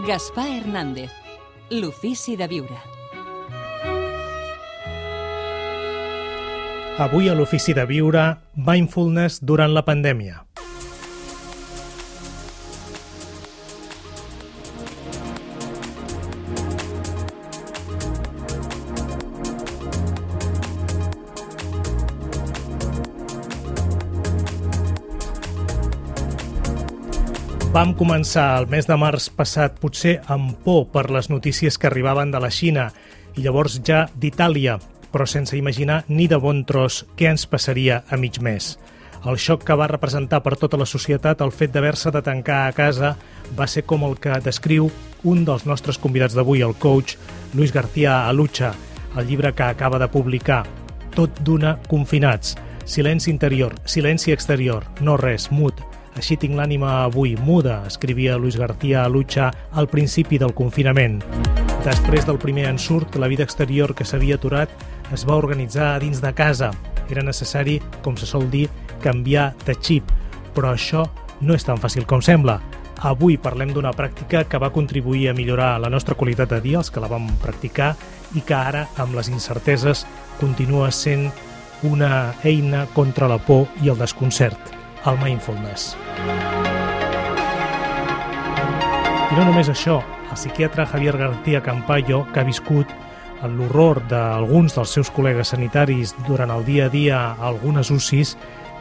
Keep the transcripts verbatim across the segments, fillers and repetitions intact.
Gaspar Hernández, l'ofici de viure. Avui a l'ofici de viure, mindfulness durant la pandèmia. Vam començar el mes de març passat potser amb por per les notícies que arribaven de la Xina i llavors ja d'Itàlia, però sense imaginar ni de bon tros què ens passaria a mig mes. El xoc que va representar per tota la societat el fet d'haver-se de tancar a casa va ser com el que descriu un dels nostres convidats d'avui, el coach Luis García Alucha, el llibre que acaba de publicar, Tot d'una confinats, silenci interior, silenci exterior, no res, mut. Així tinc l'ànima avui, muda, escrivia Luis García Alucha al principi del confinament. Després del primer ensurt, la vida exterior que s'havia aturat es va organitzar a dins de casa. Era necessari, com se sol dir, canviar de xip, però això no és tan fàcil com sembla. Avui parlem d'una pràctica que va contribuir a millorar la nostra qualitat de dia, els que la vam practicar, i que ara, amb les incerteses, continua sent una eina contra la por i el desconcert. El mindfulness. I no només això, el psiquiatre Javier García Campayo, que ha viscut l'horror d'alguns dels seus col·legues sanitaris durant el dia a dia a algunes U C Is,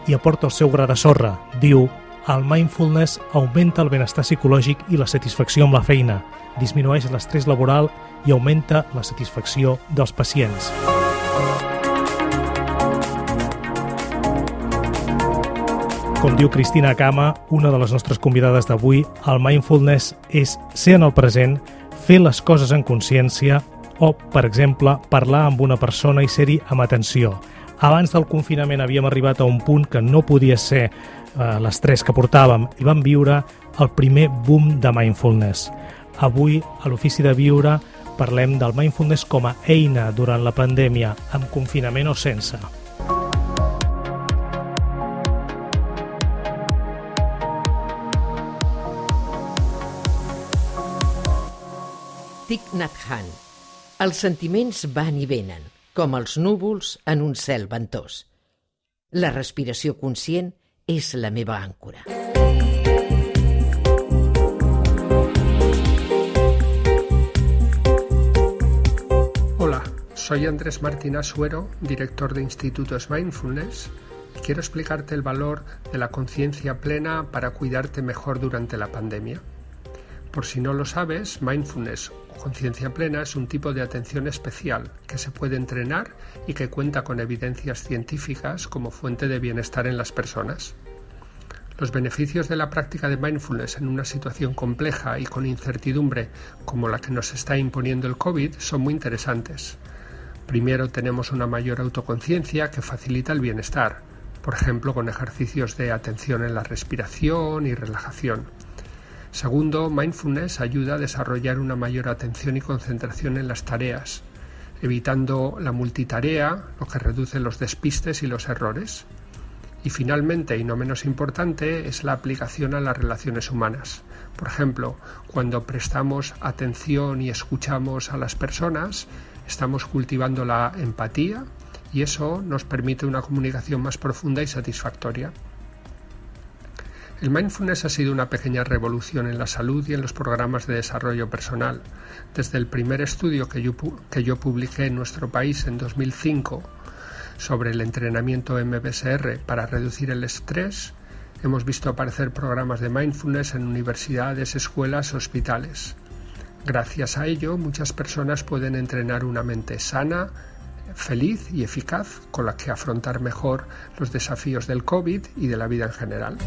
i aporta el seu gra de sorra. Diu, el mindfulness augmenta el benestar psicològic i la satisfacció amb la feina, disminueix l'estrès laboral i augmenta la satisfacció dels pacients. Com diu Cristina Cama, una de les nostres convidades d'avui, el mindfulness és ser en el present, fer les coses en consciència o, per exemple, parlar amb una persona i ser-hi amb atenció. Abans del confinament havíem arribat a un punt que no podia ser eh, l'estrès que portàvem i vam viure el primer boom de mindfulness. Avui, a l'ofici de viure, parlem del mindfulness com a eina durant la pandèmia, amb confinament o sense. Thich Nhat Hanh. Els sentiments van i venen, com els núvols en un cel ventós. La respiració conscient és la meva àncora. Hola, soy Andrés Martín Asuero, director de Institutos Mindfulness, y quiero explicarte el valor de la conciencia plena para cuidarte mejor durante la pandemia. Por si no lo sabes, mindfulness o conciencia plena es un tipo de atención especial que se puede entrenar y que cuenta con evidencias científicas como fuente de bienestar en las personas. Los beneficios de la práctica de mindfulness en una situación compleja y con incertidumbre como la que nos está imponiendo el COVID son muy interesantes. Primero, tenemos una mayor autoconciencia que facilita el bienestar, por ejemplo, con ejercicios de atención en la respiración y relajación. Segundo, mindfulness ayuda a desarrollar una mayor atención y concentración en las tareas, evitando la multitarea, lo que reduce los despistes y los errores. Y finalmente, y no menos importante, es la aplicación a las relaciones humanas. Por ejemplo, cuando prestamos atención y escuchamos a las personas, estamos cultivando la empatía y eso nos permite una comunicación más profunda y satisfactoria. El mindfulness ha sido una pequeña revolución en la salud y en los programas de desarrollo personal. Desde el primer estudio que yo, que yo publiqué en nuestro país en dos mil cinco sobre el entrenamiento M B S R para reducir el estrés, hemos visto aparecer programas de mindfulness en universidades, escuelas, hospitales. Gracias a ello, muchas personas pueden entrenar una mente sana, feliz y eficaz con la que afrontar mejor los desafíos del COVID y de la vida en general.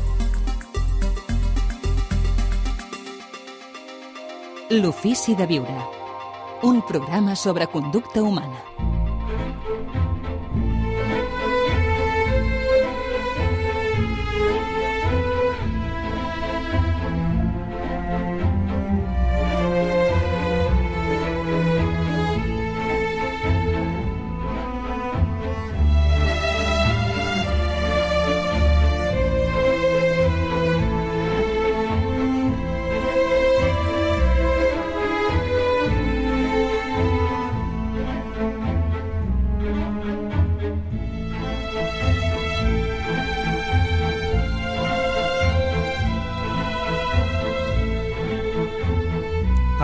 L'ofici de viure. Un programa sobre conducta humana.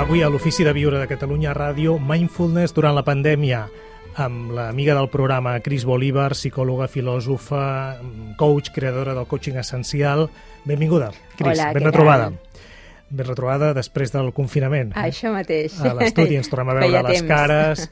Avui a l'Ofici de Viure de Catalunya Ràdio, Mindfulness durant la pandèmia, amb l'amiga del programa, Cris Bolívar, psicòloga, filòsofa, coach, creadora del coaching essencial. Benvinguda, Cris. Hola, ben què retrobada. tal? Ben retrobada després del confinament. Ah, això mateix. A l'estudi ens tornem a veure Feia les temps. cares,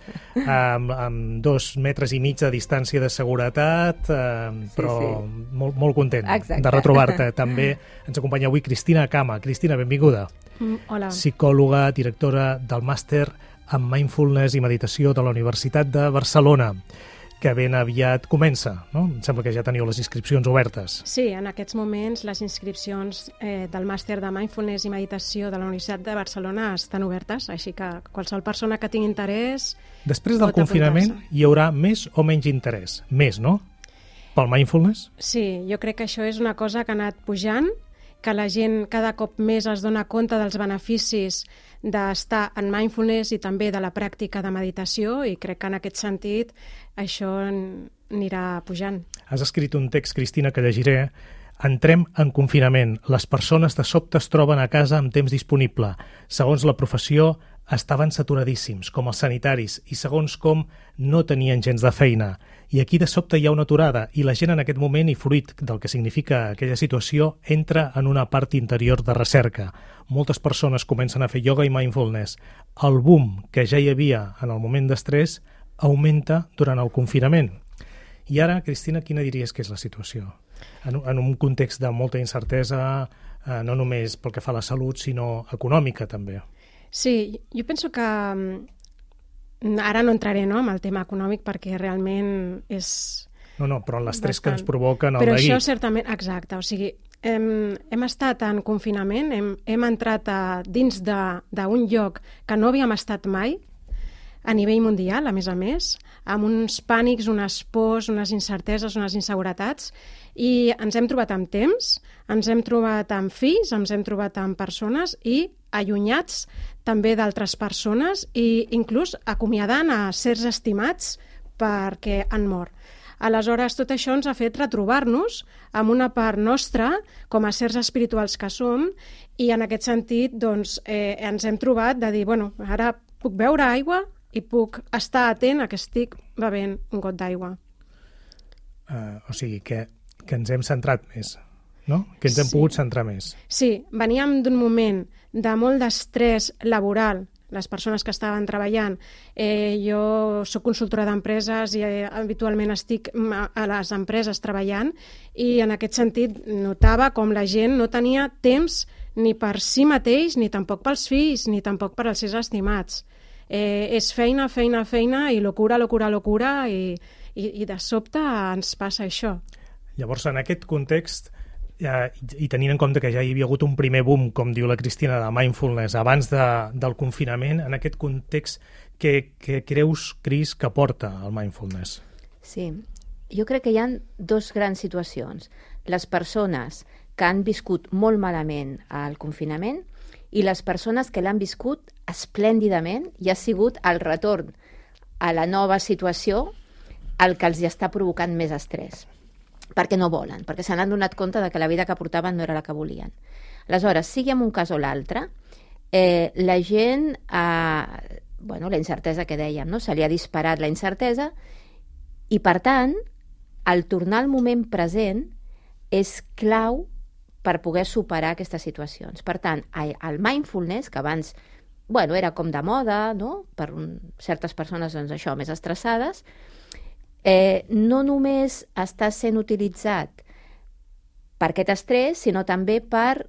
amb, amb dos metres i mig de distància de seguretat, eh, però sí. Molt, molt content Exacte. de retrobar-te. També ens acompanya avui Cristina Cama. Cristina, benvinguda. Mm, hola. Psicòloga, directora del màster en Mindfulness i Meditació de la Universitat de Barcelona, que ben aviat comença, no? Em sembla que ja teniu les inscripcions obertes. Sí, en aquests moments les inscripcions eh, del màster de Mindfulness i Meditació de la Universitat de Barcelona estan obertes, així que qualsevol persona que tingui interès... Després del pot confinament apuntar-se. hi haurà més o menys interès? Més, no? Pel Mindfulness? Sí, jo crec que això és una cosa que ha anat pujant, que la gent cada cop més es dona compte dels beneficis d'estar en mindfulness i també de la pràctica de meditació, i crec que en aquest sentit això anirà pujant. Has escrit un text, Cristina, que llegiré. Entrem en confinament. Les persones de sobte es troben a casa amb temps disponible. Segons la professió, estaven saturadíssims, com els sanitaris, i segons com no tenien gens de feina. I aquí de sobte hi ha una aturada, i la gent en aquest moment, i fruit del que significa aquella situació, entra en una part interior de recerca. Moltes persones comencen a fer ioga i mindfulness. El boom que ja hi havia en el moment d'estrès augmenta durant el confinament. I ara, Cristina, quina diries que és la situació? En, en un context de molta incertesa, eh, no només pel que fa a la salut, sinó econòmica també. Sí, jo penso que mm, ara no entraré, no, en el tema econòmic perquè realment és... No, no, però l'estrès que bastant. ens provoquen el Però neguit. això certament, exacte, o sigui, hem, hem estat en confinament, hem, hem entrat a, dins d'un lloc que no havíem estat mai, a nivell mundial, a més a més, amb uns pànics, unes pors, unes incerteses, unes inseguretats, i ens hem trobat amb temps, ens hem trobat amb fills, ens hem trobat amb persones i allunyats també d'altres persones i inclús acomiadant a certs estimats perquè han mort. Aleshores, tot això ens ha fet retrobar-nos amb una part nostra, com a certs espirituals que som, i en aquest sentit doncs, eh, ens hem trobat de dir, bueno, ara puc beure aigua i puc estar atent a que estic bevent un got d'aigua. Uh, o sigui, que, que ens hem centrat més, no? Que ens hem Sí. pogut centrar més. Sí, veníem d'un moment de molt d'estrès laboral, les persones que estaven treballant. Eh, jo soc consultora d'empreses i eh, habitualment estic a les empreses treballant, i en aquest sentit notava com la gent no tenia temps ni per si mateix, ni tampoc pels fills, ni tampoc per als seus estimats. Eh, és feina, feina, feina, i locura, locura, locura, i, i, i de sobte ens passa això. Llavors, en aquest context, eh, i tenint en compte que ja hi havia hagut un primer boom, com diu la Cristina, de mindfulness abans de, del confinament, en aquest context, què, què creus, Cris, que porta el mindfulness? Sí, jo crec que hi ha dos grans situacions. Les persones que han viscut molt malament el confinament i les persones que l'han viscut esplèndidament i ha sigut el retorn a la nova situació el que els hi està provocant més estrès, perquè no volen, perquè se n'han donat compte de que la vida que portaven no era la que volien. Aleshores, sigui en un cas o l'altre, eh, la gent, eh, bueno, la incertesa que dèiem, no? Se li ha disparat la incertesa i, per tant, el tornar al moment present és clau per poder superar aquestes situacions. Per tant, el mindfulness, que abans bueno, era com de moda, no? Per un, certes persones, doncs, això, més estressades, eh, no només està sent utilitzat per aquest estrès, sinó també per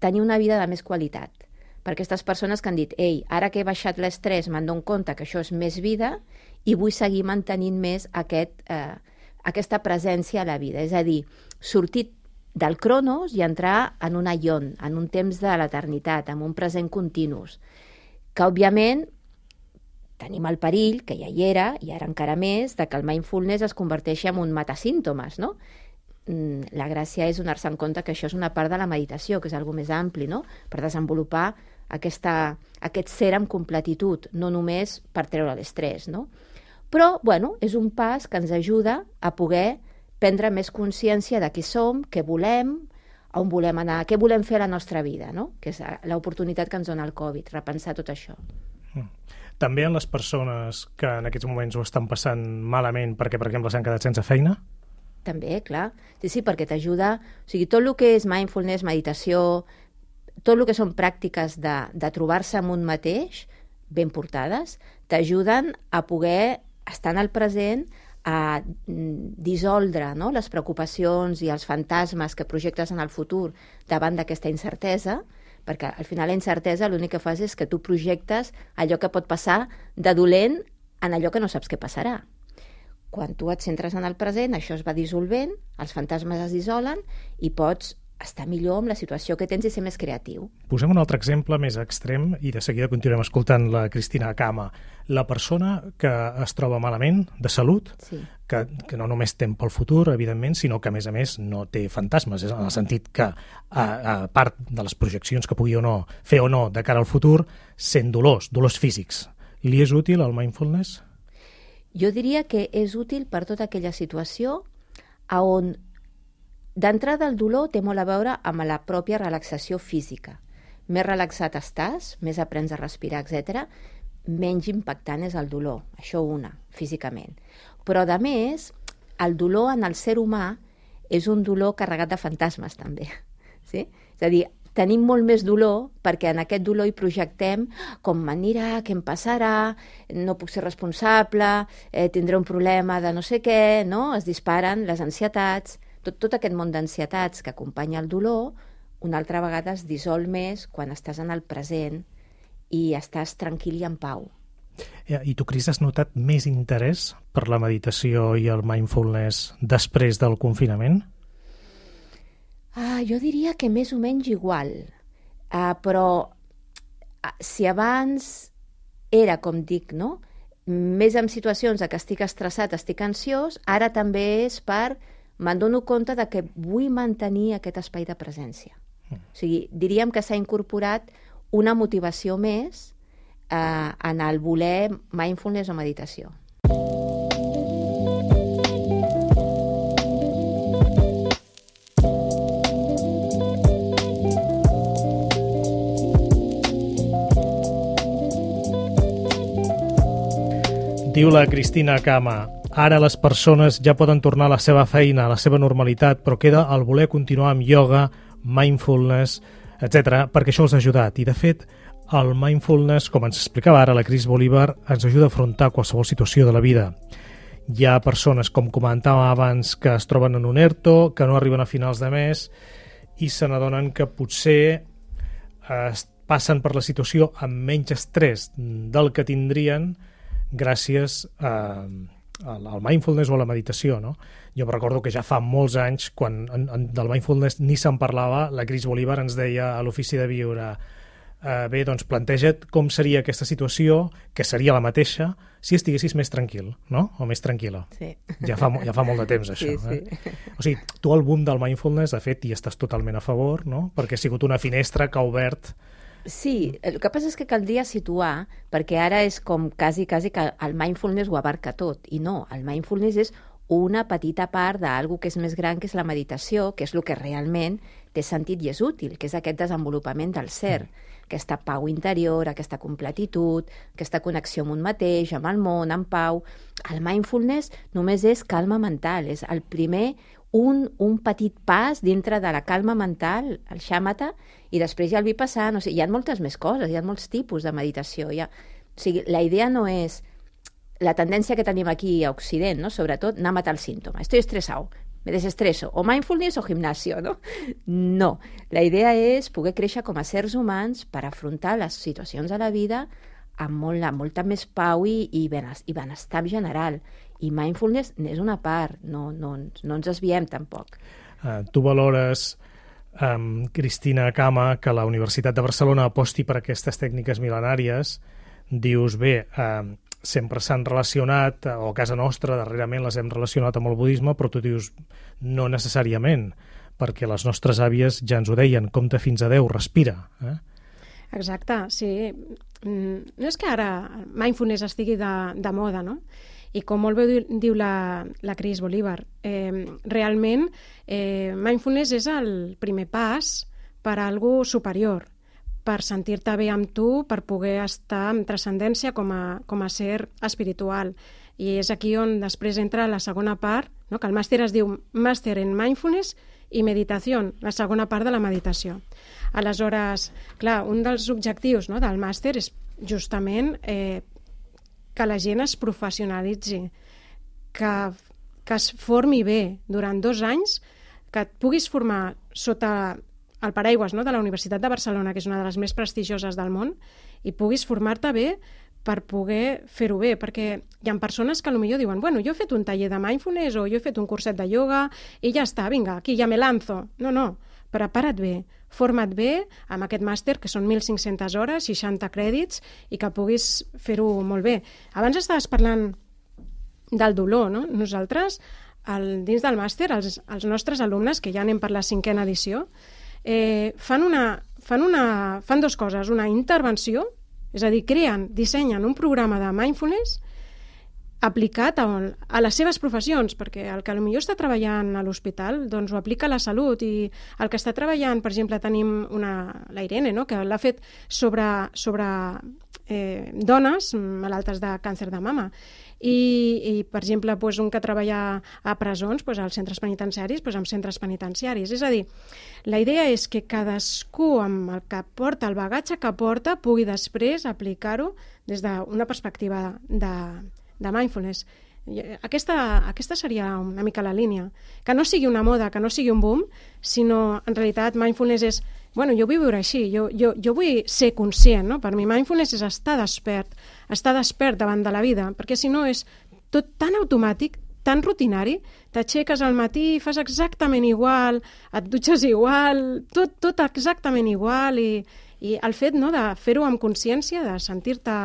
tenir una vida de més qualitat. Per aquestes persones que han dit, ei, ara que he baixat l'estrès me'n dono compte que això és més vida i vull seguir mantenint més aquest, eh, aquesta presència a la vida. És a dir, sortir del cronos i entrar en un aion, en un temps de l'eternitat, en un present continus, que òbviament tenim el perill, que ja hi era, i ara encara més, de que el mindfulness es converteixi en un matasímptomes, no? La gràcia és donar-se en compte que això és una part de la meditació, que és algo més ampli, no? Per desenvolupar aquesta, aquest ser amb completitud, no només per treure l'estrès, no? Però, bueno, és un pas que ens ajuda a poder prendre més consciència de qui som, què volem, on volem anar, què volem fer a la nostra vida, no? Que és l'oportunitat que ens dona el Covid, repensar tot això. També en les persones que en aquests moments ho estan passant malament perquè, per exemple, s'han quedat sense feina? També, clar. Sí, sí, perquè t'ajuda... O sigui, tot el que és mindfulness, meditació, tot el que són pràctiques de, de trobar-se amb un mateix, ben portades, t'ajuden a poder estar en el present, a dissoldre, no?, les preocupacions i els fantasmes que projectes en el futur davant d'aquesta incertesa, perquè al final la incertesa l'únic que fas és que tu projectes allò que pot passar de dolent en allò que no saps què passarà. Quan tu et centres en el present, això es va dissolvent, els fantasmes es dissolen i pots estar millor amb la situació que tens i ser més creatiu. Posem un altre exemple més extrem i de seguida continuem escoltant la Cristina Cama. La persona que es troba malament, de salut, Sí. que, que no només tem pel futur, evidentment, sinó que, a més a més, no té fantasmes, és en el sentit que, a, a part de les projeccions que pugui o no fer o no de cara al futur, sent dolors, dolors físics. Li és útil el mindfulness? Jo diria que és útil per tota aquella situació a on d'entrada el dolor té molt a veure amb la pròpia relaxació física. Més relaxat estàs, més aprens a respirar, etcètera, menys impactant és el dolor. Això una, físicament. Però, a més, el dolor en el ser humà és un dolor carregat de fantasmes, també. Sí? És a dir, tenim molt més dolor perquè en aquest dolor hi projectem com m'anirà, què em passarà, no puc ser responsable, eh, tindré un problema de no sé què, no? Es disparen les ansietats. Tot, tot aquest món d'ansietats que acompanya el dolor, una altra vegada es dissol més quan estàs en el present i estàs tranquil i en pau. I tu, Cris, has notat més interès per la meditació i el mindfulness després del confinament? Ah, jo diria que més o menys igual, ah, però ah, si abans era, com dic, no?, més en situacions de que estic estressat, estic ansiós, ara també és per me'n dono compte de que vull mantenir aquest espai de presència. Mm. O sigui, diríem que s'ha incorporat una motivació més eh, en el voler mindfulness o meditació. Diu la Cristina Cama, ara les persones ja poden tornar a la seva feina, a la seva normalitat, però queda el voler continuar amb ioga, mindfulness, etcètera, perquè això els ha ajudat. I, de fet, el mindfulness, com ens explicava ara la Cris Bolívar, ens ajuda a afrontar qualsevol situació de la vida. Hi ha persones, com comentàvem abans, que es troben en un ERTO, que no arriben a finals de mes i se n'adonen que potser eh, passen per la situació amb menys estrès del que tindrien gràcies a, al mindfulness o a la meditació, no? Jo recordo que ja fa molts anys, quan en, en, del mindfulness ni se'n parlava, la Cris Bolívar ens deia a l'Ofici de Viure eh, bé, doncs planteja't com seria aquesta situació, que seria la mateixa, si estiguessis més tranquil, no? O més tranquil·la. Sí. Ja fa, ja fa molt de temps, això. Sí, sí. Eh? O sigui, tu al boom del mindfulness, de fet, hi estàs totalment a favor, no? Perquè ha sigut una finestra que ha obert... Sí, el que passa és que caldria situar, perquè ara és com quasi, quasi que el mindfulness ho abarca tot, i no, el mindfulness és una petita part d'algú que és més gran, que és la meditació, que és el que realment té sentit i és útil, que és aquest desenvolupament del ser, aquesta pau interior, aquesta completitud, aquesta connexió amb un mateix, amb el món, amb pau. El mindfulness només és calma mental, és el primer, un, un petit pas dintre de la calma mental, el xàmata, i després ja el vipassana. O sigui, hi ha moltes més coses, hi ha molts tipus de meditació. Hi ha... O sigui, la idea no és la tendència que tenim aquí a Occident, no? Sobretot, anar a matar el símptoma. Estoy estresado, me desestreso, o mindfulness o gimnasio, no? No, la idea és poder créixer com a sers humans per afrontar les situacions de la vida amb molt, molta més pau i, i, benestar, i benestar general. I mindfulness n'és una part, no, no, no ens desviem tampoc. Uh, tu valores, um, Cristina Cama, que la Universitat de Barcelona aposti per aquestes tècniques mil·lenàries. Dius, bé, uh, sempre s'han relacionat, o a casa nostra darrerament les hem relacionat amb el budisme, però tu dius no necessàriament, perquè les nostres àvies ja ens ho deien, compta fins a deu, respira. Eh? Exacte, sí. No és que ara mindfulness estigui de, de moda, no? I com molt bé diu la, la Cris Bolívar, eh, realment eh, mindfulness és el primer pas per a algo superior, per sentir-te bé amb tu, per poder estar amb transcendència com a, com a ser espiritual. I és aquí on després entra la segona part, no? Que el màster es diu Màster en Mindfulness i Meditació, la segona part de la meditació. Aleshores, clar, un dels objectius, no, del màster és justament eh, que la gent es professionalitzi, que, que es formi bé durant dos anys, que et puguis formar sota el paraigües, no, de la Universitat de Barcelona, que és una de les més prestigioses del món, i puguis formar-te bé per poder fer-ho bé, perquè hi ha persones que potser diuen, bueno, jo he fet un taller de mindfulness o jo he fet un curset de ioga i ja està, vinga, aquí ja me lanzo. No, no, prepara't bé, forma't bé amb aquest màster, que són mil cinc-centes hores, seixanta crèdits, i que puguis fer-ho molt bé. Abans estaves parlant del dolor, no? Nosaltres, el, dins del màster, els, els nostres alumnes, que ja anem per la cinquena edició, eh, fan, una, fan, una, fan dues coses, una intervenció, és a dir, creen, dissenyen un programa de mindfulness aplicat a, a les seves professions, perquè el que potser està treballant a l'hospital doncs ho aplica a la salut, i el que està treballant, per exemple, tenim una, la Irene, no?, que l'ha fet sobre, sobre eh, dones malaltes de càncer de mama, i, i per exemple, doncs, un que treballa a presons, doncs, als centres penitenciaris, doncs, amb centres penitenciaris. És a dir, la idea és que cadascú amb el que porta, el bagatge que porta, pugui després aplicar-ho des d'una perspectiva de, de mindfulness. Aquesta, aquesta seria una mica la línia. Que no sigui una moda, que no sigui un boom, sinó en realitat mindfulness és, bueno, jo vull viure així, jo, jo, jo vull ser conscient, no? Per mi mindfulness és estar despert, estar despert davant de la vida, perquè si no és tot tan automàtic, tan rutinari, t'aixeques al matí, fas exactament igual, et dutxes igual, tot, tot exactament igual, i, i el fet, no, de fer-ho amb consciència, de sentir-te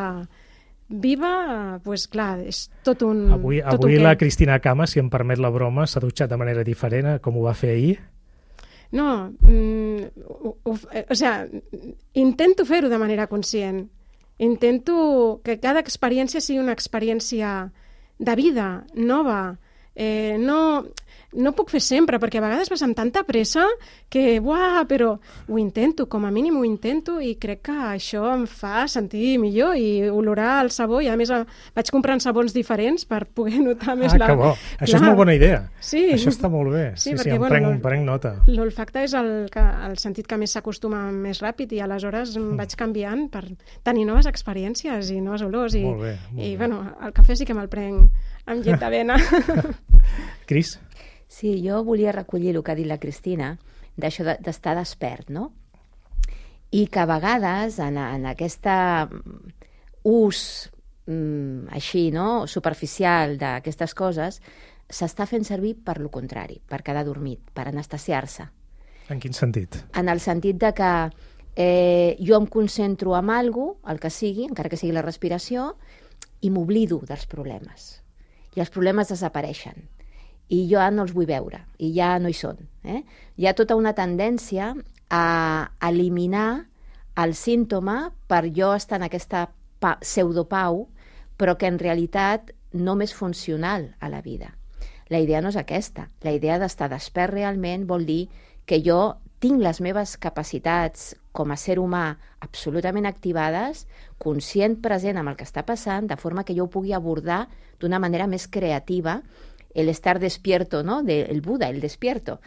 viva, pues clar, és tot un... Avui, tot avui un la què. Cristina Cama, si em permet la broma, s'ha dutxat de manera diferent com ho va fer ahir. No, mm, o, o, o sigui, intento fer-ho de manera conscient. Intento que cada experiència sigui una experiència de vida, nova. Eh, no, no puc fer sempre, perquè a vegades vas amb tanta pressa que, buah, però ho intento, com a mínim ho intento, i crec que això em fa sentir millor i olorar el sabó, i a més vaig comprant sabons diferents per poder notar més ah, la... Ah, que bo. Això Clar. És molt bona idea. Sí. Això està molt bé. Sí, sí, perquè, sí em, bueno, prenc, em prenc nota. L'olfacte és el, que, el sentit que més s'acostuma més ràpid, i aleshores mm. vaig canviant per tenir noves experiències i noves olors. I, molt bé, molt i bé. Bueno, el cafè sí que me'l prenc amb llet d'avena. Cris? Sí, jo volia recollir el que ha dit la Cristina, d'això d'estar despert, no? I que a vegades en, en aquest ús mm, així, no?, superficial d'aquestes coses, s'està fent servir per lo contrari, per quedar dormit, per anestesiar-se. En quin sentit? En el sentit de que eh, jo em concentro en alguna cosa, el que sigui, encara que sigui la respiració, i m'oblido dels problemes. I els problemes desapareixen. I jo ja no els vull veure, i ja no hi són. Eh? Hi ha tota una tendència a eliminar el símptoma per jo estar en aquesta pa- pseudopau, però que en realitat no m'és funcional a la vida. La idea no és aquesta. La idea d'estar despert realment vol dir que jo tinc les meves capacitats com a ser humà absolutament activades, conscient, present amb el que està passant, de forma que jo ho pugui abordar d'una manera més creativa. El estar despierto, ¿no?, del Buda, el despierto,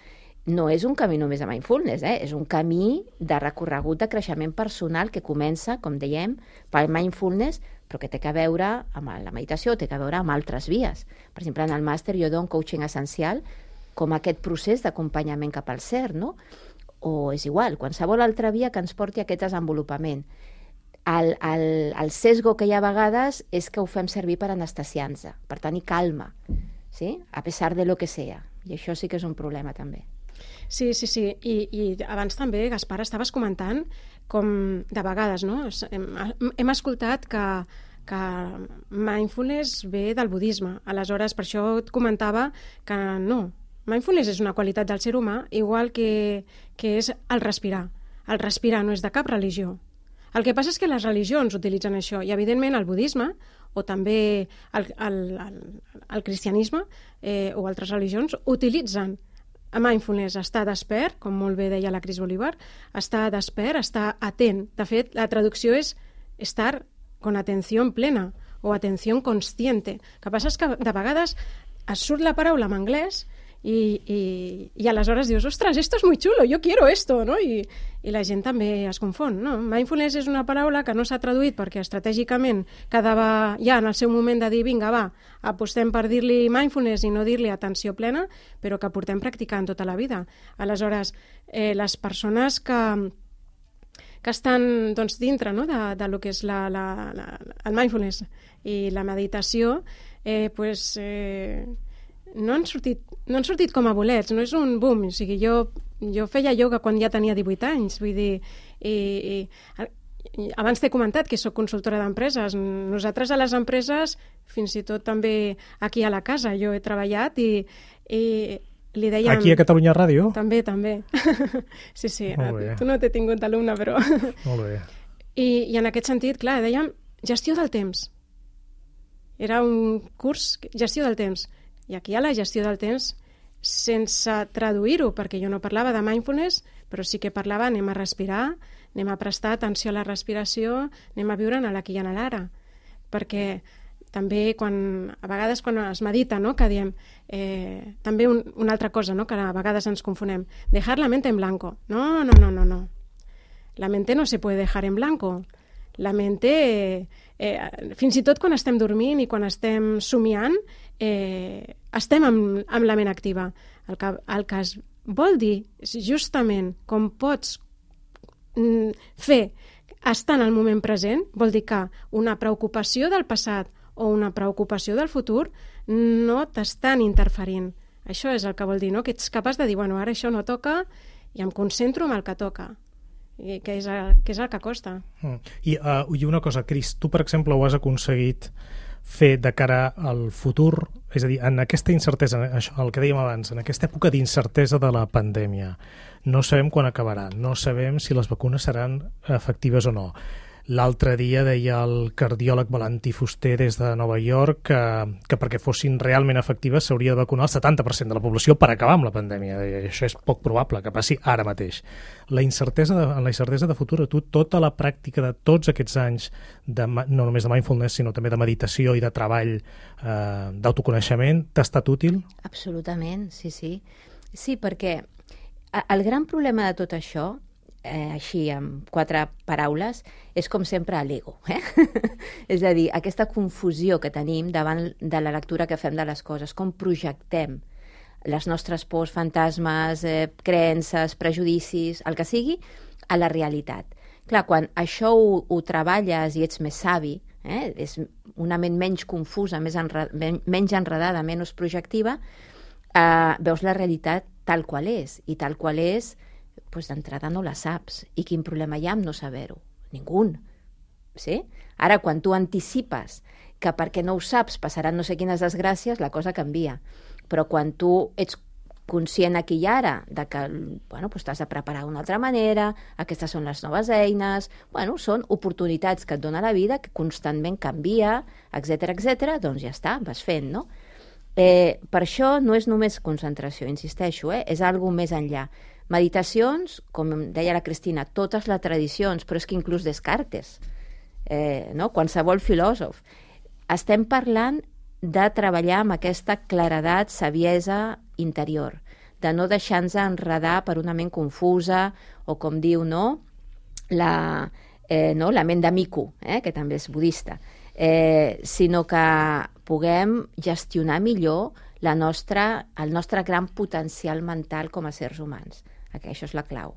no és un camí només a mindfulness, eh? És un camí de recorregut de creixement personal que comença, com dèiem, pel mindfulness, però que té a veure amb la meditació, té a veure amb altres vies. Per exemple, en el màster jo dono coaching essencial com aquest procés d'acompanyament cap al ser, no? O és igual, qualsevol altra via que ens porti a aquest desenvolupament. El, el, el sesgo que hi ha a vegades és que ho fem servir per anestesiar-nos, per tenir calma, ¿sí? A pesar de lo que sea. I això sí que és un problema també. Sí, sí, sí. I, i abans també, Gaspar, estaves comentant com de vegades, no? Hem, hem escoltat que, que mindfulness ve del budisme. Aleshores, per això et comentava que no. Mindfulness és una qualitat del ser humà, igual que, que és el respirar. El respirar no és de cap religió. El que passa és que les religions utilitzen això, i evidentment el budisme o també el, el, el, el cristianisme eh, o altres religions utilitzen mindfulness, estar despert, com molt bé deia la Cris Bolívar, estar despert, estar atent. De fet, la traducció és estar con atención plena o atención consciente. El que passa és que de vegades es surt la paraula en anglès i, i, i aleshores dius, ostres, esto es muy chulo, yo quiero esto, no? I, i la gent també es confon, no? Mindfulness és una paraula que no s'ha traduït perquè estratègicament quedava ja en el seu moment de dir, vinga, va, apostem per dir-li mindfulness i no dir-li atenció plena, però que portem practicant tota la vida. Aleshores, eh, les persones que, que estan doncs, dintre, no? de, de lo que és la, la, la, el mindfulness i la meditació, eh, pues, eh, no han sortit, no han sortit com a bolets, no és un boom. O sigui, jo, jo feia ioga quan ja tenia divuit anys, vull dir, i, i, i abans t'he comentat que sóc consultora d'empreses. Nosaltres a les empreses, fins i tot també aquí a la casa, jo he treballat i, i li dèiem... Aquí a Catalunya Ràdio? També, també. Sí, sí, tu no t'he tingut d'alumne, però... Molt bé. I, I en aquest sentit, clar, dèiem gestió del temps. Era un curs, gestió del temps. I aquí hi ha la gestió del temps sense traduir-ho, perquè jo no parlava de mindfulness, però sí que parlava, anem a respirar, anem a prestar atenció a la respiració, anem a viure en l'aquí i en l'ara. Perquè també quan, a vegades quan es medita, no? Que diem, eh, també un, una altra cosa, no? Que a vegades ens confonem, dejar la mente en blanco. No, no, no, no, no. La mente no se puede dejar en blanco. La mente, eh, eh, fins i tot quan estem dormint i quan estem somiant, eh, estem amb, amb la ment activa. El que, el que es vol dir és justament com pots mm, fer estar en el moment present, vol dir que una preocupació del passat o una preocupació del futur no t'estan interferint. Això és el que vol dir, no? Que ets capaç de dir, bueno, ara això no toca i em concentro en el que toca. I que és el que, és el que costa. Mm. I, uh, I una cosa, Cris, tu, per exemple, ho has aconseguit fer de cara al futur, és a dir, en aquesta incertesa, això, el que dèiem abans, en aquesta època d'incertesa de la pandèmia, no sabem quan acabarà, no sabem si les vacunes seran efectives o no. L'altre dia deia el cardiòleg Valentí Fuster des de Nova York que, que perquè fossin realment efectives s'hauria de vacunar el setanta per cent de la població per acabar amb la pandèmia. I això és poc probable que passi ara mateix. La incertesa de, en la incertesa de futur, tu, tota la pràctica de tots aquests anys, de, no només de mindfulness, sinó també de meditació i de treball eh, d'autoconeixement, t'ha estat útil? Absolutament, sí, sí. Sí, perquè el gran problema de tot això, Eh, així, amb quatre paraules, és com sempre l'ego. Eh? És a dir, aquesta confusió que tenim davant de la lectura que fem de les coses, com projectem les nostres pors, fantasmes, eh, creences, prejudicis, el que sigui, a la realitat. Clar, quan això ho, ho treballes i ets més savi, eh? És una ment menys confusa, més enred, menys enredada, menys projectiva, eh, veus la realitat tal qual és, i tal qual és pues d'entrada no la saps. I quin problema hi ha amb no saber-ho? Ningú. Sí? Ara, quan tu anticipes que perquè no ho saps passaran no sé quines desgràcies, la cosa canvia. Però quan tu ets conscient aquí i ara de que bueno, pues t'has de preparar d'una altra manera, aquestes són les noves eines, bueno, són oportunitats que et dona la vida, que constantment canvia, etcètera, etcètera, doncs ja està, vas fent, no? Eh, per això no és només concentració, insisteixo, eh? És algo més enllà. Meditacions, com deia la Cristina, totes les tradicions, però és que inclús Descartes, eh, no? Qualsevol filòsof. Estem parlant de treballar amb aquesta claredat, saviesa interior, de no deixar-nos enredar per una ment confusa o, com diu, no? La, eh, no? la ment de mico, eh? Que també és budista, eh, sinó que puguem gestionar millor la nostra, el nostre gran potencial mental com a sers humans. Que això és la clau.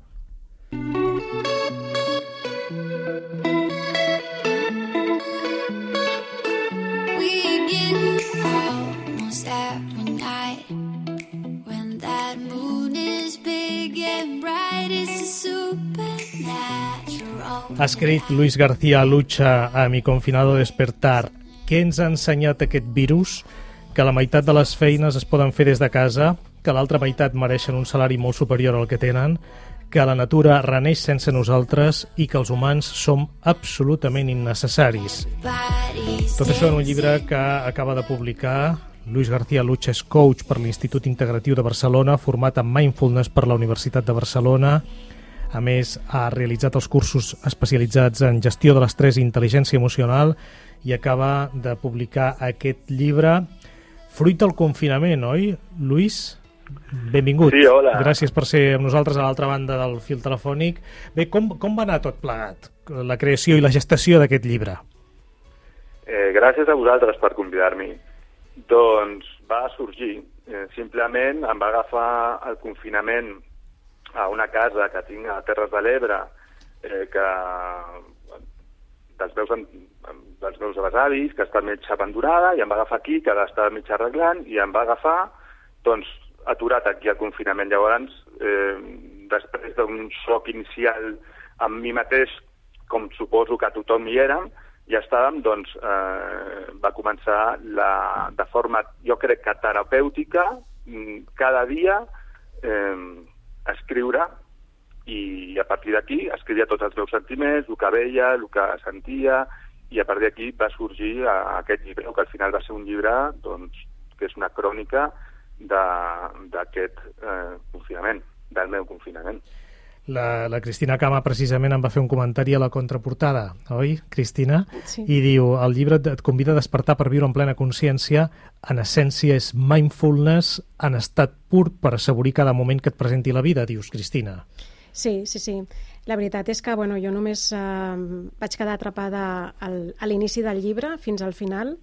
Ha escrit Luis García Lucha a Mi confinado despertar. Què ens ha ensenyat aquest virus? Que la meitat de les feines es poden fer des de casa, que l'altra meitat mereixen un salari molt superior al que tenen, que la natura reneix sense nosaltres i que els humans som absolutament innecessaris. Tot això en un llibre que acaba de publicar Luis García Lucha, és coach per l'Institut Integratiu de Barcelona, format en Mindfulness per la Universitat de Barcelona. A més, ha realitzat els cursos especialitzats en gestió de l'estrès i intel·ligència emocional i acaba de publicar aquest llibre fruit del confinament, oi, Luis? Benvingut. Sí, hola. Gràcies per ser amb nosaltres a l'altra banda del fil telefònic. Bé, com, com va anar tot plegat, la creació i la gestació d'aquest llibre? Eh, gràcies a vosaltres per convidar-m'hi. Doncs va sorgir. Eh, simplement em va agafar el confinament a una casa que tinc a Terres de l'Ebre, eh, que dels meus, dels meus besavis, que està mig abandonada, i em va agafar aquí, que l'estava mig arreglant, i em va agafar, doncs, aturat aquí al confinament. Llavors, eh, després d'un xoc inicial amb mi mateix, com suposo que tothom hi érem, ja estàvem, doncs, eh, va començar la, de forma, jo crec que terapèutica, cada dia eh, escriure, i a partir d'aquí escrivia tots els meus sentiments, el que veia, el que sentia, i a partir d'aquí va sorgir aquest llibre, que al final va ser un llibre, doncs, que és una crònica d'aquest eh, confinament, del meu confinament. La, la Cristina Cama precisament em va fer un comentari a la contraportada, oi, Cristina? Sí. I diu, el llibre et convida a despertar per viure en plena consciència, en essència és mindfulness en estat pur per assaborir cada moment que et presenti la vida, dius, Cristina. Sí, sí, sí. La veritat és que bueno, jo només eh, vaig quedar atrapada al, a l'inici del llibre fins al final.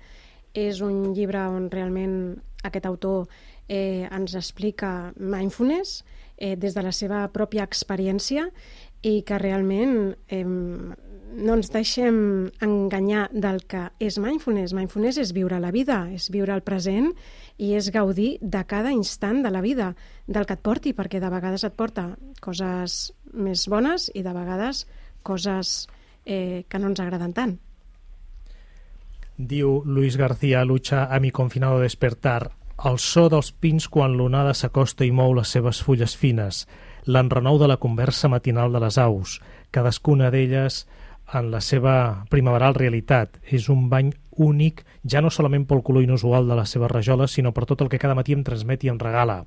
És un llibre on realment aquest autor eh, ens explica mindfulness eh, des de la seva pròpia experiència i que realment eh, no ens deixem enganyar del que és mindfulness. Mindfulness és viure la vida, és viure el present i és gaudir de cada instant de la vida, del que et porti, perquè de vegades et porta coses més bones i de vegades coses eh, que no ens agraden tant. Diu Luis García Lucha a Mi confinado despertar: el so dels pins quan l'onada s'acosta i mou les seves fulles fines, l'enrenou de la conversa matinal de les aus, cadascuna d'elles en la seva primaveral realitat. És un bany únic, ja no solament pel color inusual de les seves rajoles, sinó per tot el que cada matí em transmet i em regala.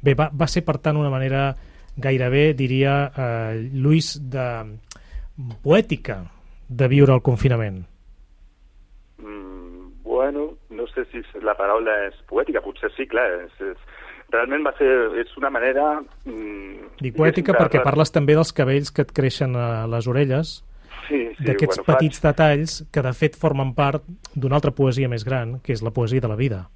Bé, va, va ser, per tant, una manera gairebé, diria, eh, Luis, de poètica de viure el confinament. Mm, bueno, no sé si la paraula és poètica, potser sí, clar, és, és, realment va ser, és una manera... Mm, Dic poètica de... perquè parles també dels cabells que et creixen a les orelles, sí, sí, d'aquests bueno, petits faig... detalls que de fet formen part d'una altra poesia més gran, que és la poesia de la vida.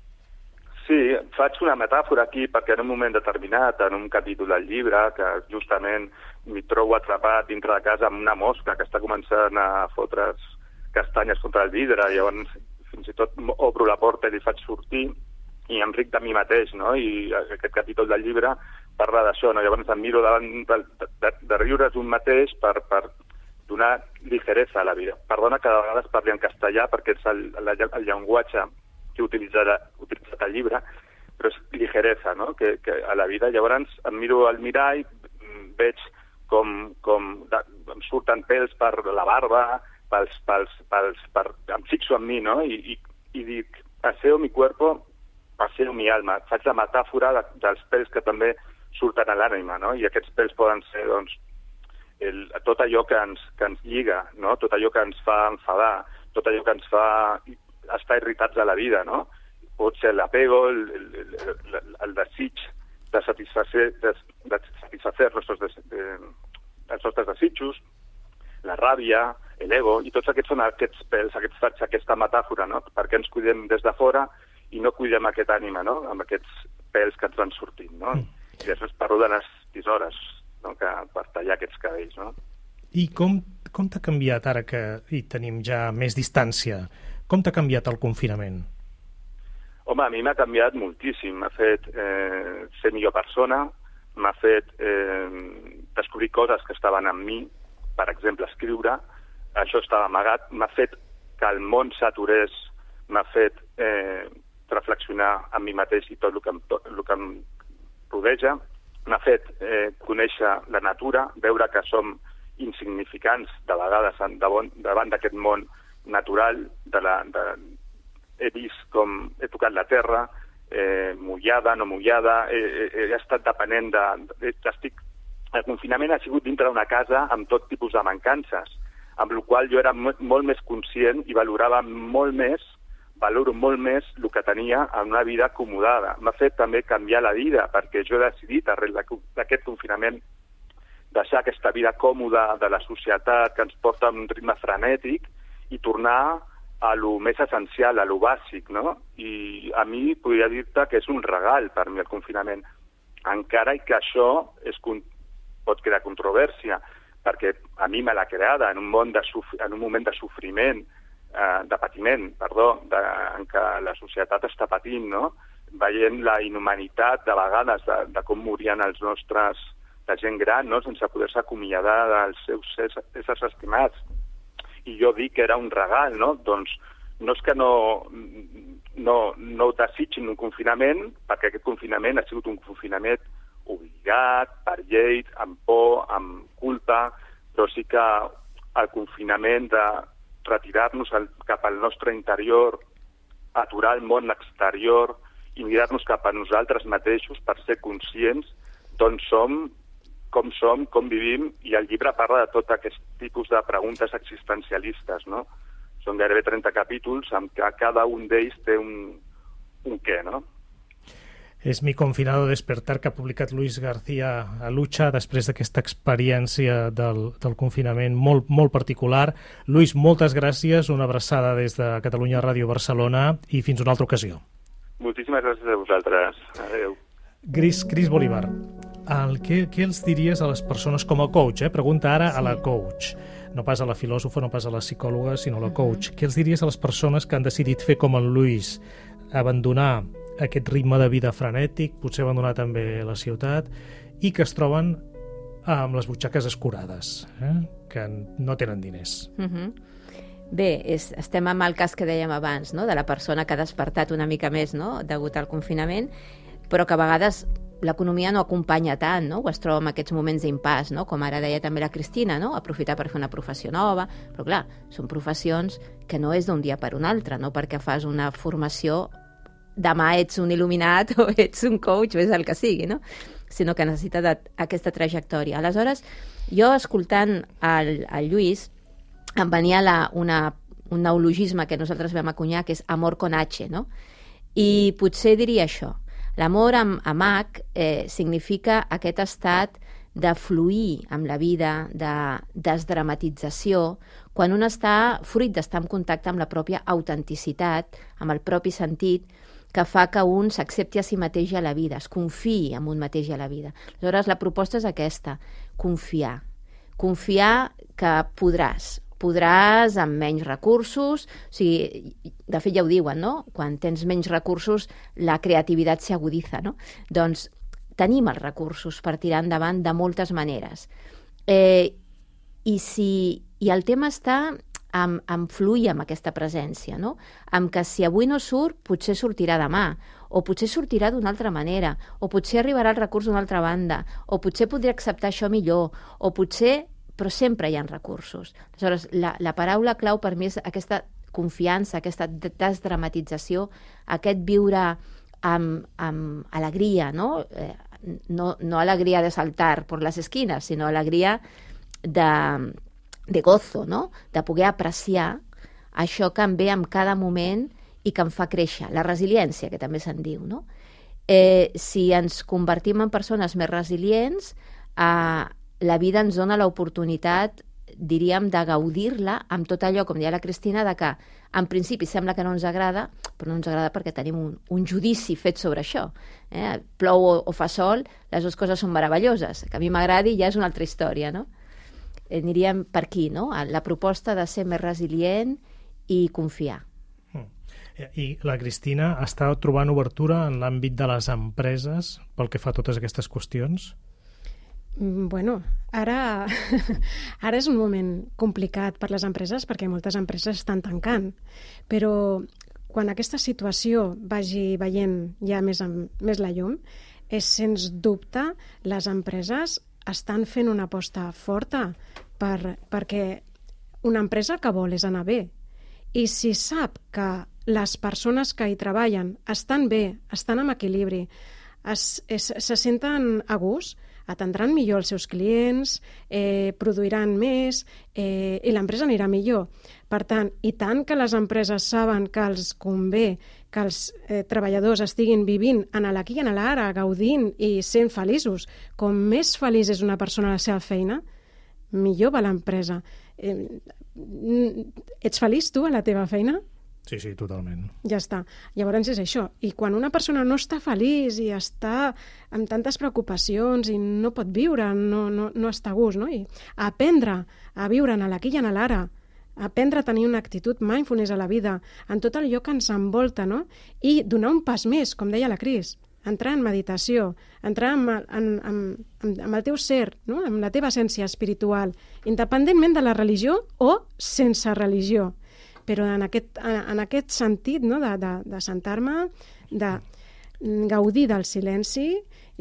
Sí, faig una metàfora aquí perquè en un moment determinat, en un capítol del llibre, que justament m'hi trobo atrapat dintre de casa amb una mosca que està començant a fotre's castanyes contra el vidre, i llavors fins i tot obro la porta i li faig sortir i em ric de mi mateix, no? I aquest capítol del llibre parla d'això, no? Llavors em miro davant de, de, de riure's un mateix per, per donar ligeresa a la vida. Perdona que de vegades parli en castellà perquè és el, el, el llenguatge que he utilitzat, utilitzat al llibre, però és ligeresa, no? Que, que a la vida. Llavors em miro al mirall, veig com, com de, em surten pèls per la barba, pels, pels, pels, per, em fixo en mi, no? I, i, i dic, aseo mi cuerpo, aseo mi alma. Faig la metàfora de, dels pèls que també surten a l'ànima, no? I aquests pèls poden ser, doncs, el, tot allò que ens, que ens lliga, no? Tot allò que ens fa enfadar, tot allò que ens fa estar irritats a la vida, no? Pot ser l'apego, el, el, el, el desig de satisfacer, de, de satisfacer els nostres, des, de, els nostres desitjos, la ràbia, l'ego, i tots aquests són aquests pèls, aquests faig aquesta metàfora, no? Perquè ens cuidem des de fora i no cuidem aquest ànima, no? Amb aquests pèls que ens van sortint, no? I després parlo de les tisores, no? Que per tallar aquests cabells, no? I com, com t'ha canviat ara que hi tenim ja més distància? Com t'ha canviat el confinament? Home, a mi m'ha canviat moltíssim. M'ha fet eh, ser millor persona, m'ha fet eh, descobrir coses que estaven en mi, per exemple, escriure. Això estava amagat. M'ha fet que el món s'aturés, m'ha fet eh, reflexionar en mi mateix i tot el que em, tot el que em rodeja. m'ha fet eh, conèixer la natura, veure que som insignificants de vegades davant d'aquest món natural. De la, de, he vist com he tocat la terra, eh, mullada, no mullada, he, he, he estat depenent de... de estic, el confinament ha sigut dintre d'una casa amb tot tipus de mancances, amb la qual jo era molt més conscient i valorava molt més, valoro molt més el que tenia en una vida acomodada. M'ha fet també canviar la vida, perquè jo he decidit, arrel d'aquest confinament, deixar aquesta vida còmoda de la societat que ens porta a un ritme frenètic i tornar a lo més essencial, a lo bàsic, no? I a mi podria dir-te que és un regal per mi el confinament, encara que això és, pot crear controvèrsia, perquè a mi me l'ha creada en un, món de en un moment de sofriment, eh, de patiment, perdó, de, en què la societat està patint, no? Veient la inhumanitat de vegades de, de com morien els nostres, la gent gran, no? Sense poder-se acomiadar dels seus éssers estimats. I jo dic que era un regal, no? Doncs no és que no, no, no desitgin un confinament, perquè aquest confinament ha sigut un confinament obligat, per llei, amb por, amb culpa, però sí que el confinament de retirar-nos cap al nostre interior, aturar el món exterior i mirar-nos cap a nosaltres mateixos per ser conscients d'on som, com som, com vivim, i el llibre parla de tot aquest tipus de preguntes existencialistes, no? Són gairebé trenta capítols amb què cada un d'ells té un, un què, no? És Mi confinado despertar, que ha publicat Luis García Alucha després d'aquesta experiència del, del confinament molt, molt particular. Luis, moltes gràcies, una abraçada des de Catalunya Ràdio Barcelona i fins una altra ocasió. Moltíssimes gràcies a vosaltres. Adéu. Cris, Cris Bolívar, el, què, què els diries a les persones com a coach? Eh? Pregunta ara sí. a la coach. No pas a la filòsofa, no pas a la psicòloga, sinó a la coach. Mm-hmm. Què els diries a les persones que han decidit fer com el Luis, abandonar aquest ritme de vida frenètic, potser abandonar també la ciutat, i que es troben amb les butxaques escurades, eh? que no tenen diners. Mm-hmm. Bé, és, estem amb el cas que dèiem abans, no? De la persona que ha despertat una mica més, no? Degut al confinament, però que a vegades l'economia no acompanya tant, no? O es troba en aquests moments d'impàs, no? Com ara deia també la Cristina, no? Aprofitar per fer una professió nova, però clar, són professions que no és d'un dia per un altre, no? Perquè fas una formació, demà ets un il·luminat o ets un coach o és el que sigui, no? Sinó que necessita de, aquesta trajectòria. Aleshores, jo escoltant el, el Lluís, em venia la, una, un neologisme que nosaltres vam acunyar, que és amor con H, no? I potser diria això. L'amor amb, amb H eh, significa aquest estat de fluir amb la vida, de desdramatització, quan un està fruit d'estar en contacte amb la pròpia autenticitat, amb el propi sentit, que fa que un s'accepti a si mateix i a la vida, es confiï en un mateix i a la vida. Aleshores, la proposta és aquesta, confiar. Confiar que podràs. Podràs amb menys recursos, o sigui, de fet ja ho diuen, no? Quan tens menys recursos, la creativitat s'aguditza, no? Doncs tenim els recursos per tirar endavant de moltes maneres. Eh, i, si, I el tema està amb, amb fluir amb aquesta presència, no? Amb que si avui no surt, potser sortirà demà, o potser sortirà d'una altra manera, o potser arribarà el recurs d'una altra banda, o potser podria acceptar això millor, o potser... però sempre hi ha recursos. Aleshores, la, la paraula clau per mi és aquesta confiança, aquesta desdramatització, aquest viure amb, amb alegria, no? Eh, no, no alegria de saltar per les esquines, sinó alegria de, de gozo, no? De poder apreciar això que em ve en cada moment i que em fa créixer, la resiliència, que també se'n diu, no? Eh, si ens convertim en persones més resilients, eh, la vida ens dona l'oportunitat, diríem, de gaudir-la amb tot allò, com deia la Cristina, de que en principi sembla que no ens agrada, però no ens agrada perquè tenim un, un judici fet sobre això. Eh? Plou o, o fa sol, les dues coses són meravelloses. Que a mi m'agradi ja és una altra història, no? Eh, aniríem per aquí, no? La proposta de ser més resilient i confiar. I la Cristina està trobant obertura en l'àmbit de les empreses pel que fa a totes aquestes qüestions? Bueno, ara, ara és un moment complicat per les empreses perquè moltes empreses estan tancant, però quan aquesta situació vagi veient ja més, amb, més la llum, és, sens dubte, les empreses estan fent una aposta forta per, perquè una empresa que vol és anar bé. I si sap que les persones que hi treballen estan bé, estan en equilibri, es, es, se senten a gust, atendran millor els seus clients, eh, produiran més eh, i l'empresa anirà millor. Per tant, i tant que les empreses saben que els convé que els eh, treballadors estiguin vivint en l'aquí i en l'ara, gaudint i sent feliços. Com més feliç és una persona a la seva feina, millor va l'empresa. Eh, ets feliç tu a la teva feina? Sí, sí, totalment. Ja està. Llavors és això. I quan una persona no està feliç i està amb tantes preocupacions i no pot viure, no, no, no està a gust, no? I aprendre a viure en l'aquí i en l'ara, aprendre a tenir una actitud mindfulness a la vida, en tot allò que ens envolta, no? I donar un pas més, com deia la Cris, entrar en meditació, entrar en, en, en, en, en el teu ser, no? En la teva essència espiritual, independentment de la religió o sense religió. Però en aquest, en aquest sentit, no? de, de, de sentar-me, de gaudir del silenci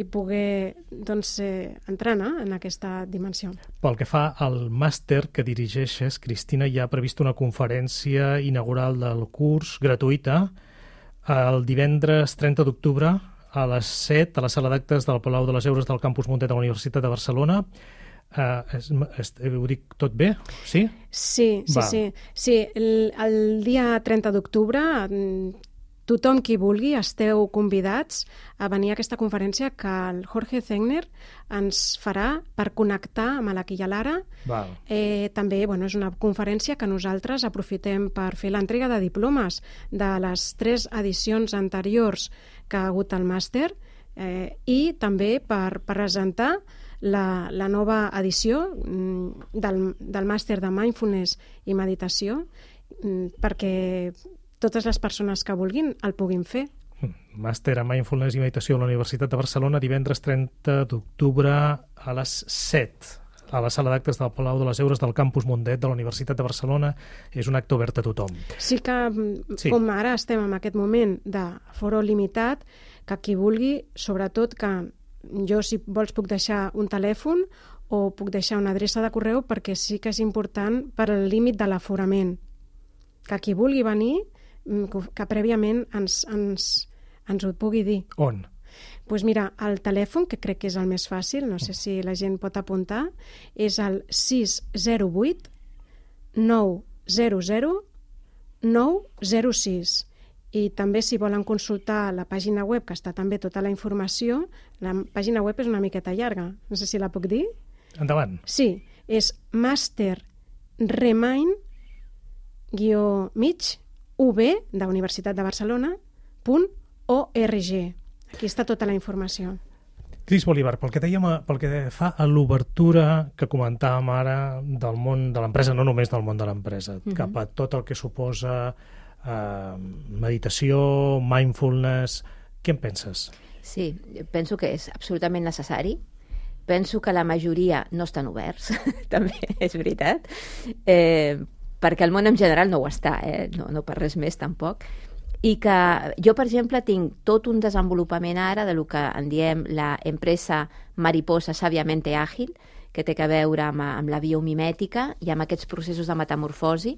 i poder doncs, eh, entrar, no? En aquesta dimensió. Pel que fa al màster que dirigeixes, Cristina, hi ha previst una conferència inaugural del curs gratuïta el divendres trenta d'octubre a les set a la sala d'actes del Palau de les Heures del Campus Mundet de la Universitat de Barcelona. Uh, es, es, ho dic tot bé? Sí? Sí, sí, sí. sí el, el dia trenta d'octubre tothom qui vulgui esteu convidats a venir a aquesta conferència que el Jorge Zegner ens farà per connectar amb l'aquí i l'ara. Eh, també bueno, és una conferència que nosaltres aprofitem per fer l'entrega de diplomes de les tres edicions anteriors que ha hagut al màster eh, i també per, per presentar La, la nova edició del, del màster de Mindfulness i Meditació perquè totes les persones que vulguin el puguin fer. Màster en Mindfulness i Meditació a la Universitat de Barcelona, divendres trenta d'octubre a les set a la sala d'actes del Palau de les Heures del Campus Mundet de la Universitat de Barcelona. És un acte obert a tothom. Sí que, sí. Com ara estem en aquest moment de foro limitat, que qui vulgui, sobretot que jo, si vols, puc deixar un telèfon o puc deixar una adreça de correu perquè sí que és important per al límit de l'aforament. Que qui vulgui venir, que prèviament ens, ens, ens ho pugui dir. On? Doncs pues mira, el telèfon, que crec que és el més fàcil, no sé si la gent pot apuntar, és el sis zero vuit nou zero zero nou zero sis. I també, si volen consultar la pàgina web, que està també tota la informació, la pàgina web és una miqueta llarga, no sé si la puc dir. Endavant. Sí, és master remind guió mig ub de Universitat de Barcelona punt org. Aquí està tota la informació. Cris Bolívar, pel que dèiem, pel que fa a l'obertura que comentàvem ara del món de l'empresa, no només del món de l'empresa, uh-huh. cap a tot el que suposa Uh, meditació, mindfulness, què en penses? Sí, penso que és absolutament necessari. Penso que la majoria no estan oberts, també és veritat, eh, perquè el món en general no ho està, eh? no, no per res més tampoc. I que jo, per exemple, tinc tot un desenvolupament ara de lo que en diem la empresa mariposa sàviamente àgil, que té a veure amb, amb la biomimètica i amb aquests processos de metamorfosi,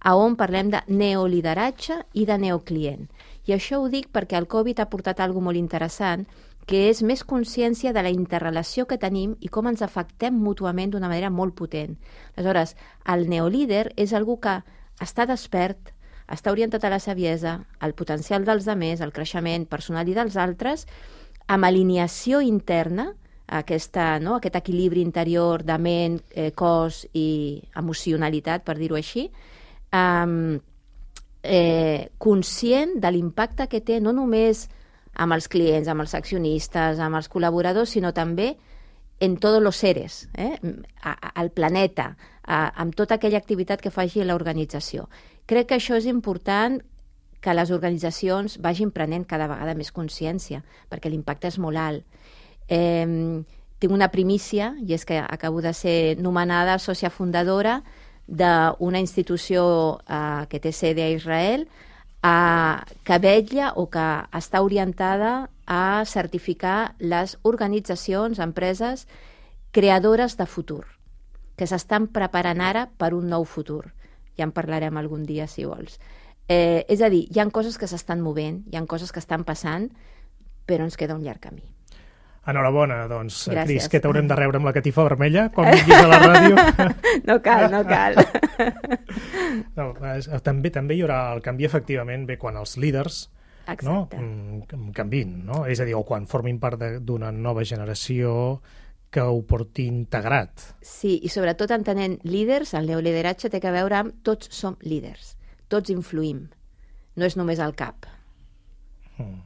a on parlem de neolideratge i de neoclient. I això ho dic perquè el Covid ha portat alguna molt interessant, que és més consciència de la interrelació que tenim i com ens afectem mútuament d'una manera molt potent. Aleshores, el neolíder és algú que està despert, està orientat a la saviesa, al potencial dels altres, al creixement personal i dels altres, amb alineació interna, aquesta, no? aquest equilibri interior de ment, eh, cos i emocionalitat, per dir-ho així, Um, eh, conscient de l'impacte que té no només amb els clients, amb els accionistes, amb els col·laboradors, sinó també en tots els seres, eh? a, a, al planeta, a, amb tota aquella activitat que faci l'organització. Crec que això és important, que les organitzacions vagin prenent cada vegada més consciència, perquè l'impacte és molt alt. Eh, tinc una primícia, i és que acabo de ser nomenada sòcia fundadora d'una institució eh, que té sede a Israel, eh, que vetlla o que està orientada a certificar les organitzacions, empreses creadores de futur, que s'estan preparant ara per un nou futur. Ja en parlarem algun dia, si vols. Eh, és a dir, hi ha coses que s'estan movent, hi ha coses que estan passant, però ens queda un llarg camí. Enhorabona, doncs, Gràcies. Cris, que t'haurem de rebre amb la catifa vermella quan vinguis a la ràdio. No cal, no cal. No, també, també hi haurà el canvi, efectivament, bé, quan els líders no, canvin, no? És a dir, o quan formin part d'una nova generació que ho porti integrat. Sí, i sobretot entenent líders, el neolideratge té a veure amb tots som líders, tots influïm, no és només el cap. Mm.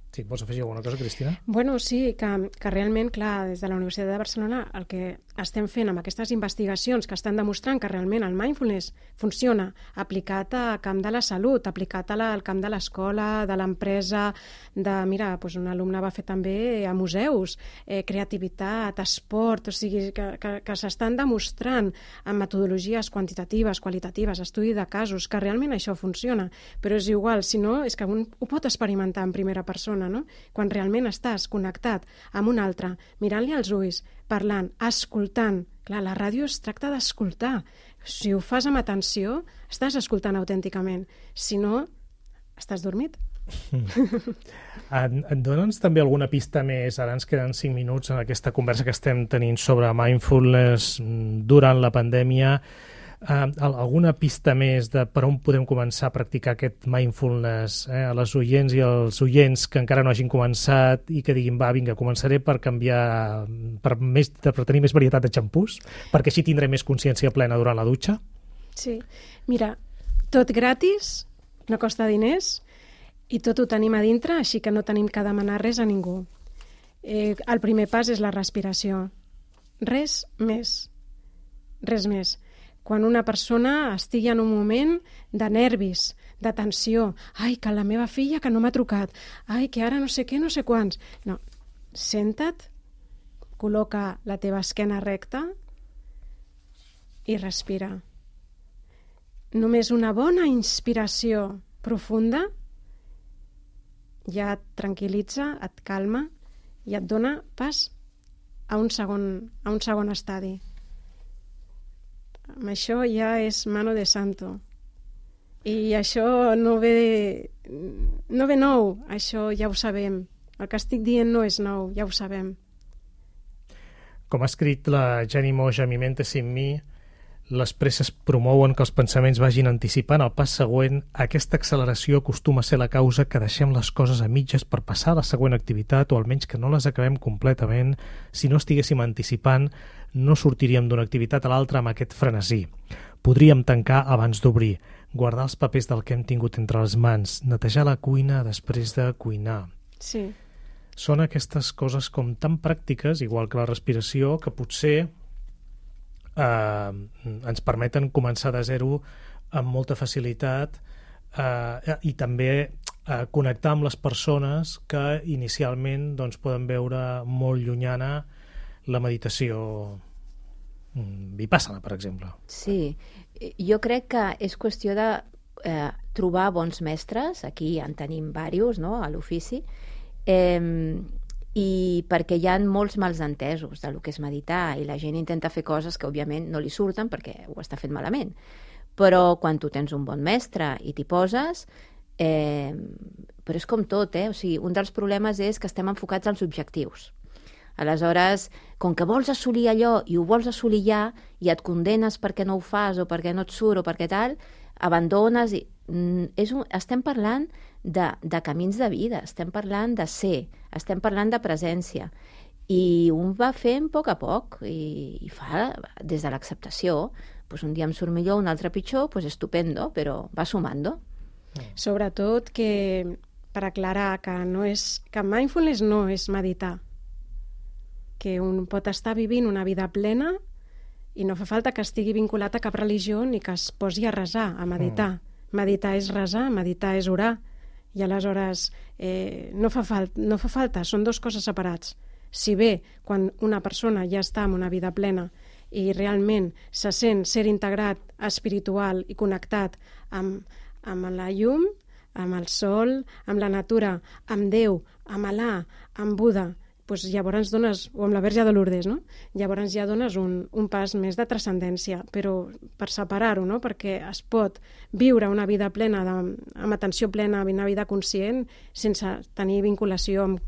Sí, vols afegir alguna cosa, Cristina? Bueno, sí, que, que realment, clar, des de la Universitat de Barcelona el que estem fent amb aquestes investigacions que estan demostrant que realment el mindfulness funciona aplicat al camp de la salut, aplicat al camp de l'escola, de l'empresa, de, mira, doncs un alumne va fer també a museus, eh, creativitat, esport, o sigui, que, que, que s'estan demostrant amb metodologies quantitatives, qualitatives, estudi de casos, que realment això funciona, però és igual, si no, és que un ho pot experimentar en primera persona, no? Quan realment estàs connectat amb un altre, mirant-li als ulls, parlant, escoltant. Clar, la ràdio es tracta d'escoltar. Si ho fas amb atenció, estàs escoltant autènticament. Si no, estàs dormit. Mm. Dóna'ns també alguna pista més, ara ens queden cinc minuts en aquesta conversa que estem tenint sobre mindfulness durant la pandèmia. Uh, alguna pista més de per on podem començar a practicar aquest mindfulness eh, a les oients i als oients que encara no hagin començat i que diguin, va, vinga, començaré per canviar, per, més, per tenir més varietat de xampús, perquè així tindré més consciència plena durant la dutxa? Sí, mira, tot gratis, no costa diners i tot ho tenim a dintre, així que no tenim que demanar res a ningú. Eh, el primer pas és la respiració. Res més. Res més. Quan una persona estigui en un moment de nervis, de tensió, ai, que la meva filla que no m'ha trucat, ai, que ara no sé què, no sé quants. No, senta't, col·loca la teva esquena recta i respira. Només una bona inspiració profunda ja et tranquil·litza, et calma i et dona pas a un segon, a un segon estadi. Amb això ja és mano de santo. I això no ve, no ve nou, això ja ho sabem. El que estic dient no és nou, ja ho sabem. Com ha escrit la Jenny Moix a Mi mente sin mi, les presses promouen que els pensaments vagin anticipant el pas següent. Aquesta acceleració acostuma a ser la causa que deixem les coses a mitges per passar a la següent activitat, o almenys que no les acabem completament. Si no estiguéssim anticipant, no sortiríem d'una activitat a l'altra amb aquest frenesí. Podríem tancar abans d'obrir, guardar els papers del que hem tingut entre les mans, netejar la cuina després de cuinar. Sí. Són aquestes coses com tan pràctiques, igual que la respiració, que potser eh, ens permeten començar de zero amb molta facilitat eh, i també eh, connectar amb les persones que inicialment doncs, poden veure molt llunyana la meditació vipassana, per exemple. Sí, jo crec que és qüestió de eh, trobar bons mestres, aquí en tenim diversos, no?, a l'ofici, eh, i perquè hi ha molts mals entesos del que és meditar i la gent intenta fer coses que òbviament no li surten perquè ho està fent malament, però quan tu tens un bon mestre i t'hi poses, eh, però és com tot, eh? O sigui, un dels problemes és que estem enfocats als objectius. Aleshores, com que vols assolir allò i ho vols assolir ja i et condenes perquè no ho fas o perquè no et surt o perquè tal, abandones i... És un... estem parlant de, de camins de vida, estem parlant de ser, estem parlant de presència i un va fent a poc a poc i, i fa des de l'acceptació, pues un dia em surt millor, un altre pitjor, pues estupendo, però va sumando. Sobretot que, per aclarar que no és, que mindfulness no és meditar, que un pot estar vivint una vida plena i no fa falta que estigui vinculat a cap religió ni que es posi a resar, a meditar. Mm. Meditar és resar, meditar és orar. I aleshores eh, no, fa fal- no fa falta, són dos coses separats. Si bé quan una persona ja està en una vida plena i realment se sent ser integrat, espiritual i connectat amb, amb la llum, amb el sol, amb la natura, amb Déu, amb Alà, amb Buda, doncs llavors dones, o amb la Verge de Lourdes, no? Llavors ja dones un, un pas més de transcendència, però per separar-ho, no? Perquè es pot viure una vida plena, de, amb atenció plena, una vida conscient, sense tenir vinculació amb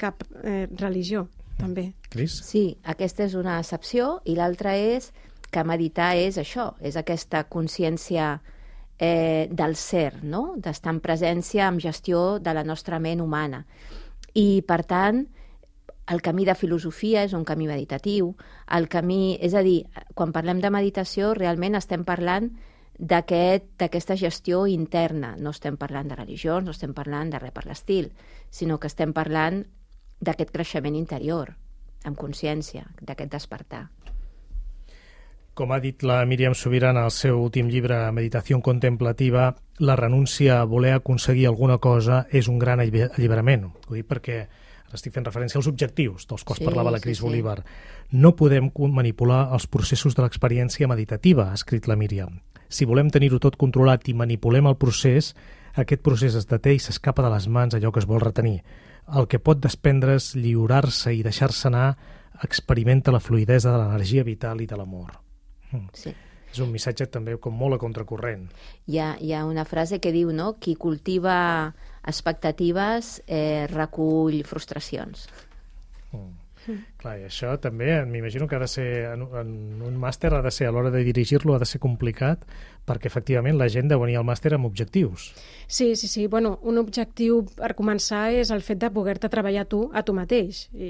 cap eh, religió, també. Cris? Sí, aquesta és una excepció, i l'altra és que meditar és això, és aquesta consciència eh, del ser, no? D'estar en presència, amb gestió de la nostra ment humana. I, per tant, el camí de filosofia és un camí meditatiu, el camí, és a dir, quan parlem de meditació realment estem parlant d'aquest, d'aquesta gestió interna, no estem parlant de religions, no estem parlant de res per l'estil, sinó que estem parlant d'aquest creixement interior, amb consciència, d'aquest despertar. Com ha dit la Míriam Subirana en el seu últim llibre, Meditació contemplativa, la renúncia a voler aconseguir alguna cosa és un gran alliberament. Ho dic perquè estic fent referència als objectius dels quals sí, parlava la Cris sí, Bolívar. Sí. No podem manipular els processos de l'experiència meditativa, ha escrit la Míriam. Si volem tenir-ho tot controlat i manipulem el procés, aquest procés es deté i s'escapa de les mans allò que es vol retenir. El que pot desprendre's, lliurar-se i deixar-se anar, experimenta la fluïdesa de l'energia vital i de l'amor. Sí. És un missatge també com molt a contracorrent. Hi ha, hi ha una frase que diu, no?, qui cultiva expectatives eh, recull frustracions. Mm. Mm. Clar, i això també m'imagino que ha de ser, en, en un màster ha de ser, a l'hora de dirigir-lo ha de ser complicat, perquè efectivament la gent deu venir al màster amb objectius. Sí, sí, sí. Bueno, un objectiu per començar és el fet de poder-te treballar tu a tu mateix. I,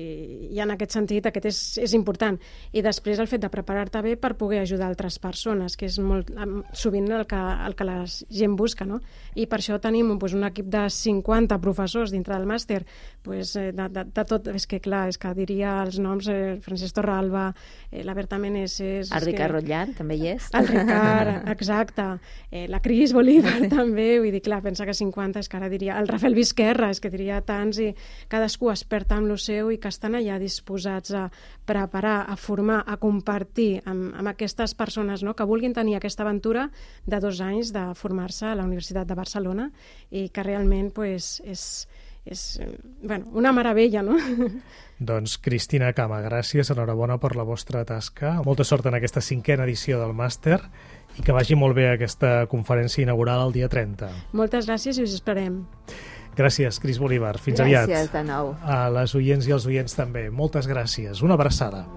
i en aquest sentit aquest és, és important. I després el fet de preparar-te bé per poder ajudar altres persones, que és molt sovint el que, el que la gent busca, no? I per això tenim pues, un equip de cinquanta professors dintre del màster, pues, de, de, de tot, és que clar, és que diria els noms, eh, Francesc Torralba, eh, la Berta Meneses... El Ricard que... Rotllant també hi és. El Ricard, exacte. Eh, la Cris Bolívar també, vull dir, clar, pensa que cinquanta és que ara diria... El Rafael Vizquerra, és que diria tants, i cadascú experta amb lo seu i que estan allà disposats a preparar, a formar, a compartir amb, amb aquestes persones, no?, que vulguin tenir aquesta aventura de dos anys de formar-se a la Universitat de Barcelona i que realment pues, és... és bueno, una meravella, no? Doncs Cristina Cama, gràcies, enhorabona per la vostra tasca. Molta sort en aquesta cinquena edició del màster i que vagi molt bé aquesta conferència inaugural el dia trenta. Moltes gràcies i us esperem. Gràcies, Cris Bolívar. Fins gràcies, aviat. Gràcies de nou. A les oients i als oients també. Moltes gràcies. Una abraçada.